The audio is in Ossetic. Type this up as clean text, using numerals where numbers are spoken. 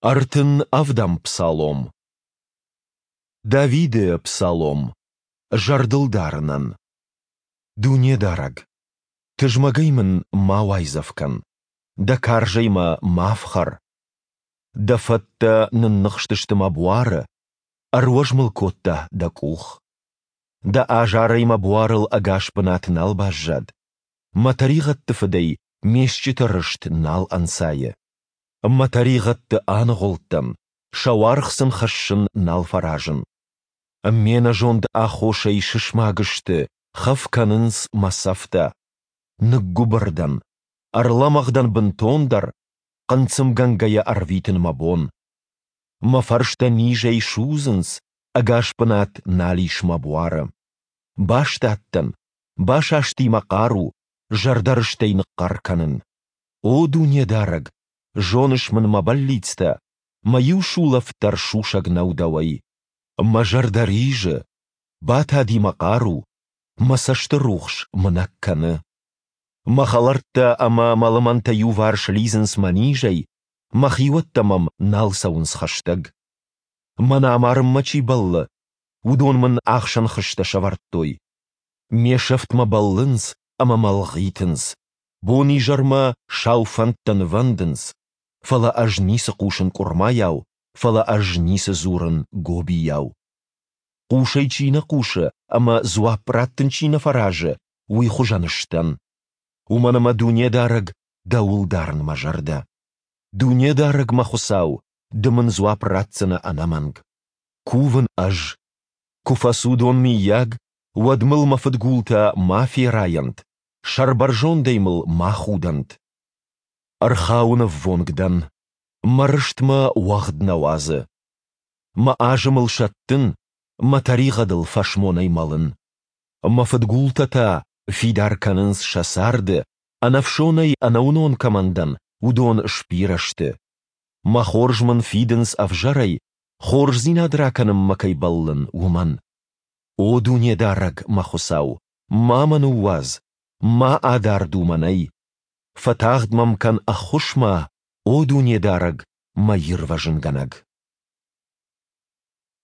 37-ӕм псалом. Давиды псалом. Зӕрдылдарынӕн. Дунедарӕг, тызмӕгӕй мын ма уайдзӕф кӕн, Дӕ карзӕй мӕ ма фхӕр. Дӕ фӕттӕ нынныхстысты мӕ буары, ӕруӕз мыл кодта Дӕ къух. Дӕ азарӕй мӕ буарыл ӕгас бынат нал баззад, мӕ тӕригъӕдты фыдӕй ме стджыты рыст нал ӕнцайы. Мӕ тӕригъӕдты аныгъуылдтӕн, сӕ уаргъ сын хӕссын нал фӕразын. Ме нӕзонды аххосӕй сысмаг сты, хӕф кӕнынц мӕ цӕфтӕ. Ныггуыбыр дӕн, ӕрлӕмӕгъ дӕн бынтондӕр, хъынцъымгӕнгӕйӕ ӕрвитын мӕ бон. Мӕ фӕрстӕ низӕй судзынц, ӕгас бынат нал ис мӕ буары. Бастадтӕн, басасти мӕ хъару, зӕрдӕрыстӕй ныхъхъӕр кӕнын. О Дунедарӕг, зоныс мын мӕ бӕллицтӕ, мӕ иу сулӕфт дӕр сусӕг нӕу Дӕуӕй. Мӕ зӕрдӕ ризы, батади мӕ хъару, мӕ цӕсты рухс мынӕг кӕны. Мӕ хӕлӕрттӕ ӕмӕ мӕ лымӕнтӕ иуварс лидзынц мӕ низӕй, мӕ хиуӕттӕ мӕм нал цӕуынц хӕстӕг. Мӕн амарынмӕ чи бӕллы, уыдон мын ахсӕн хызтӕ сӕвӕрдтой. Ме сӕфтмӕ бӕллынц ӕмӕ мӕ лгъитынц, бон-изӕрмӕ сау фӕндтӕ нывӕндынц, фӕлӕ ӕз ницы хъусын къуырмайау, фӕлӕ ӕз ницы дзурын гобийау. Хъусӕй чи нӕ хъусы ӕмӕ дзуапп раттын чи нӕ фӕразы, уый хуызӕн сдӕн. Уымӕн ӕмӕ Дунедарӕг дӕуыл дарын мӕ зӕрдӕ. Дунедарӕг мӕ Хуыцау, ды мын дзуапп ратдзынӕ ӕнӕмӕнг. Кувын ӕз. Куы фӕцудон, мыййаг, уӕд мыл мӕ фыдгултӕ ма ферайӕнт, сӕрбӕрзондӕй мыл ма худӕнт. Ӕрхауынӕввонг дӕн, мӕ рыст мӕ уӕгъд нӕ уадзы. Мӕ азымыл сӕттын, мӕ тӕригъӕдыл фӕсмонӕй мӕлын. Мӕ фыдгултӕ та фидар кӕнынц сӕ царды, ӕнӕфсонӕй ӕнӕуынон кӕмӕн дӕн, уыдон сбирӕ сты. Мӕ хорз мын фидынц ӕвзӕрӕй, хорздзинад ракӕнынмӕ кӕй бӕллын, уымӕн. О Дунедарӕг, мӕ Хуыцау, ма мӕ ныууадз, ма адард у мӕнӕй. Фӕтагъд мӕм кӕн ӕххуысмӕ, о Дунедарӕг, мӕ Ирвӕзынгӕнӕг!